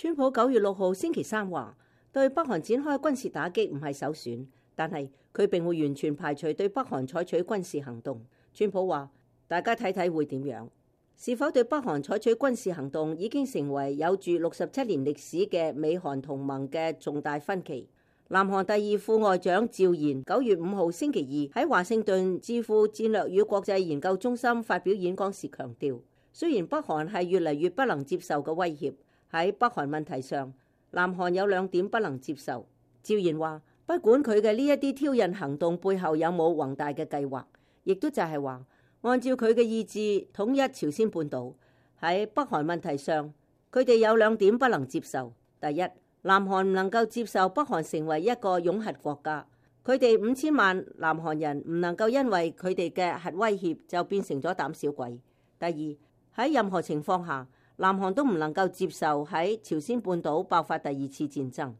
川普9月6號星期三話，對北韓展開軍事打擊唔係首選，但係佢並會完全排除對北韓採取軍事行動。川普話：大家睇睇會點樣？是否對北韓採取軍事行動已經成為有住67年歷史嘅美韓同盟嘅重大分歧。南韓第二副外長趙賢9月5號星期二喺華盛頓智庫戰略與國際研究中心發表演講時強調，雖然北韓係越嚟越不能接受嘅威脅，喺北韓問題上，南韓有2點不能接受。趙賢話：不管佢嘅呢一啲挑釁行動背後有冇宏大嘅計劃，亦都就係話，按照佢嘅意志統一朝鮮半島。喺北韓問題上，佢哋有2點不能接受。第一，南韓唔能夠接受北韓成為一個擁核國家，佢哋5000萬南韓人唔能夠因為佢哋嘅核威脅就變成咗膽小鬼。第二，喺任何情況下，南韓都唔能夠接受喺朝鮮半島爆發第2次戰爭。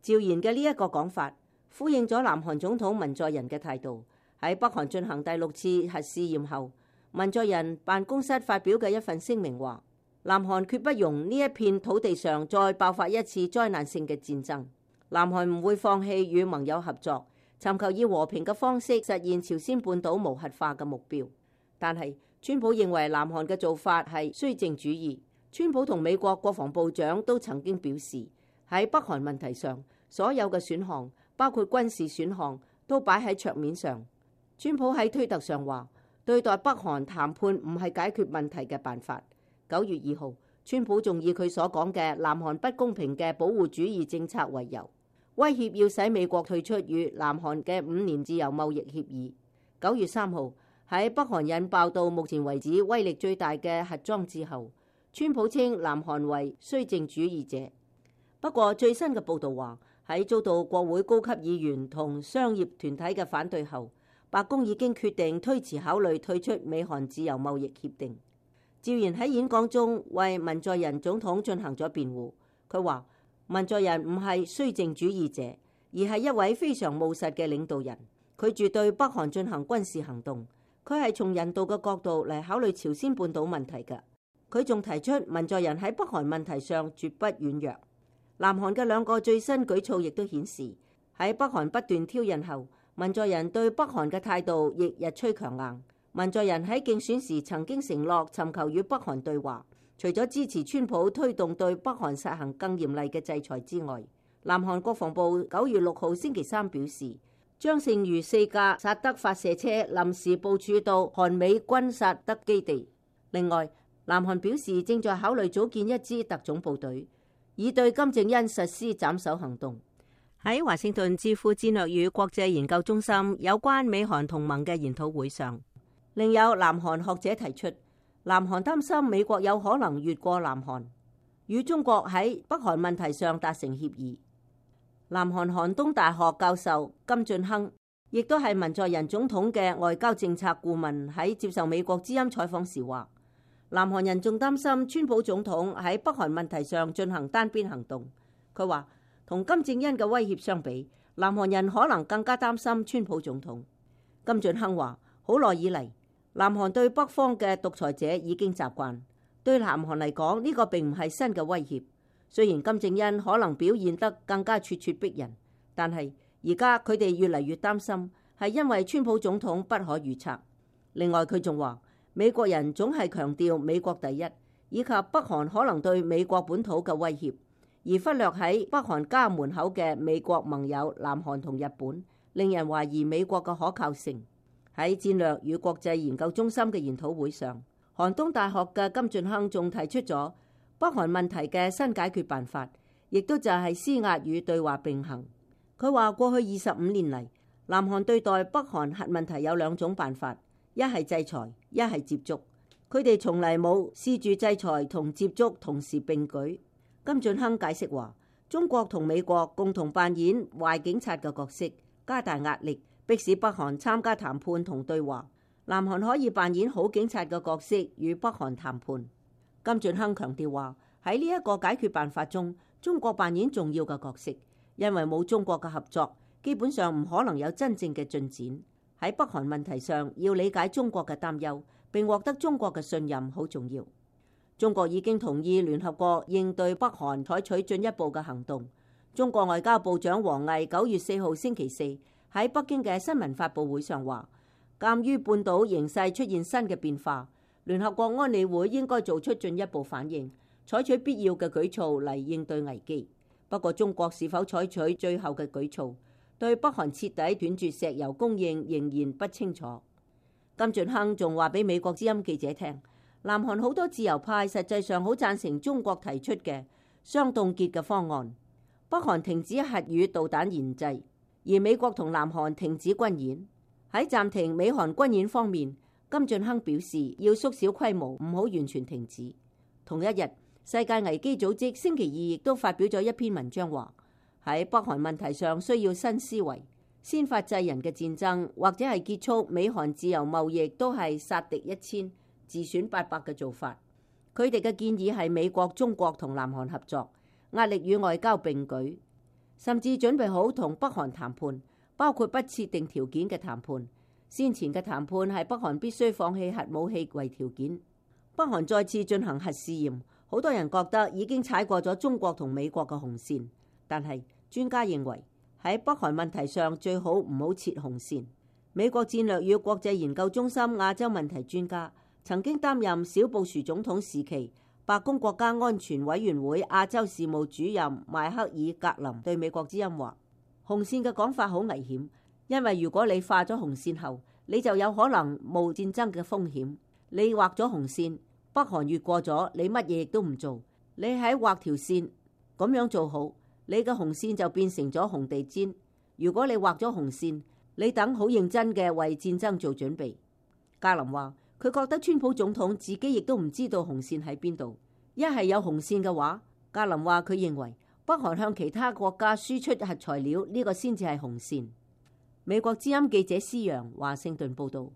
趙賢嘅呢一個講法呼應咗南韓總統文在寅嘅態度。喺北韓進行第6次核試驗後，文在寅辦公室發表嘅一份聲明話：南韓決不容呢一片土地上再爆發一次災難性嘅戰爭。南韓唔會放棄與盟友合作，尋求以和平嘅方式實現朝鮮半島無核化嘅目標。但係川普認為南韓嘅做法係綏靖主義。川普同美國國防部長都曾經表示，喺北韓問題上，所有嘅選項，包括軍事選項，都擺喺桌面上。川普喺推特上話：對待北韓談判唔係解決問題嘅辦法。9月2號，川普仲以佢所講嘅南韓不公平嘅保護主義政策為由，威脅要使美國退出與南韓嘅5年自由貿易協議。9月3號，喺北韓引爆到目前為止威力最大嘅核裝置後，川普稱南韓為綏靖主義者。不過最新嘅報導話，喺遭到國會高級議員同商業團體嘅反對後，白宮已經決定推遲考慮退出美韓自由貿易協定。趙賢喺演講中為文在寅總統進行咗辯護。佢話：文在寅唔係綏靖主義者，而係一位非常務實嘅領導人。佢絕對北韓進行軍事行動，佢係從人道嘅角度嚟考慮朝鮮半島問題嘅。佢仲提出文在寅喺北韓問題上絕不軟弱。南韓嘅2個最新舉措亦都顯示，喺北韓不斷挑釁後，文在寅對北韓嘅態度亦日趨強硬。文在寅喺競選時曾經承諾尋求與北韓對話，除咗支持川普推動對北韓實行更嚴厲嘅制裁之外，南韓國防部9月6號星期三表示，將剩餘4架薩德發射車臨時部署到韓美軍薩德基地。另外，南韓表示正在考慮組建一支特種部隊，以對金正恩實施斬首行動。喺華盛頓智庫戰略與國際研究中心有關美韓同盟嘅研討會上，另有南韓學者提出，南韓擔心美國有可能越過南韓，與中國喺北韓問題上達成協議。南韓韓東大學教授金俊亨，亦都係文在寅總統嘅外交政策顧問，喺接受美國之音採訪時話，南韓人仲擔心川普總統喺北韓問題上進行單邊行動。佢話，同金正恩嘅威脅相比，南韓人可能更加擔心川普總統。金俊亨話，好耐以嚟，南韓對北方嘅獨裁者已經習慣，對南韓嚟講呢個並唔係新嘅威脅。雖然金正恩可能表現得更加咄咄逼人，但係而家佢哋越嚟越擔心，係因為川普總統不可預測。另外佢仲話，美國人總係強調美國第一，以及北韓可能對美國本土嘅威脅，而忽略喺北韓家門口嘅美國盟友南韓同日本，令人懷疑美國嘅可靠性。喺戰略與國際研究中心嘅研討會上，韓東大學嘅金俊亨仲提出咗北韓問題嘅新解決辦法，亦都就係施壓與對話並行。佢話過去25年嚟，南韓對待北韓核問題有2種辦法，一係制裁，一係接觸。佢哋從嚟冇試住制裁同接觸同時並舉。金俊亨解釋話，中國同美國共同扮演壞警察嘅角色，加大壓力，迫使北韓參加談判同對話。南韓可以扮演好警察嘅角色，與北韓談判。金俊亨強調話，喺呢一個解決辦法中，中國扮演重要嘅角色，因為冇中國嘅合作，基本上唔可能有真正嘅進展。喺北韓問題上，要理解中國嘅擔憂，並獲得中國嘅信任好重要。中國已經同意聯合國應對北韓採取進一步嘅行動。中國外交部長王毅9月4號星期四喺北京嘅新聞發佈會上話，鑑於半島形勢出現新嘅變化，聯合國安理會應該做出進一步反應，採取必要嘅舉措嚟應對危機。不過，中國是否採取最後嘅舉措，對北韓徹底斷絕石油供應仍然不清楚。金俊亨仲話俾美國之音記者聽，南韓好多自由派實際上好贊成中國提出嘅雙凍結嘅方案，北韓停止核與導彈研製，而美國同南韓停止軍演。喺暫停美韓軍演方面，金俊亨表示要縮小規模，唔好完全停止。同一日，世界危機組織星期二亦都發表咗一篇文章，話喺北韓問題上需要新思維，先發制人嘅戰爭或者係結束美韓自由貿易都係殺敵1000自損800嘅做法。佢哋嘅建議係美國、中國同南韓合作，壓力與外交並舉，甚至準備好同北韓談判，包括不設定條件嘅談判。先前嘅談判係北韓必須放棄核武器為條件。北韓再次進行核試驗，好多人覺得已經踩過咗中國同美國嘅紅線，但係專家認為喺北韓問題上最好唔好設紅線。美國戰略與國際研究中心亞洲問題專家，曾經擔任小布殊總統時期白宮國家安全委員會亞洲事務主任邁克爾格林對美國之音話，紅線嘅講法好危險，因為如果你畫咗紅線後，你就有可能冒戰爭嘅風險。你畫咗紅線，北韓越過咗，你乜嘢亦都唔做。你喺畫條線咁樣做好，你嘅紅線就變成咗紅地毯。如果你畫咗紅線，你等好認真嘅為戰爭做準備。格林話，佢覺得川普總統自己亦都唔知道紅線喺邊度。一係有紅線嘅話，格林話佢認為北韓向其他國家輸出核材料呢個先至係紅線。美國之音記者施洋華盛頓報道。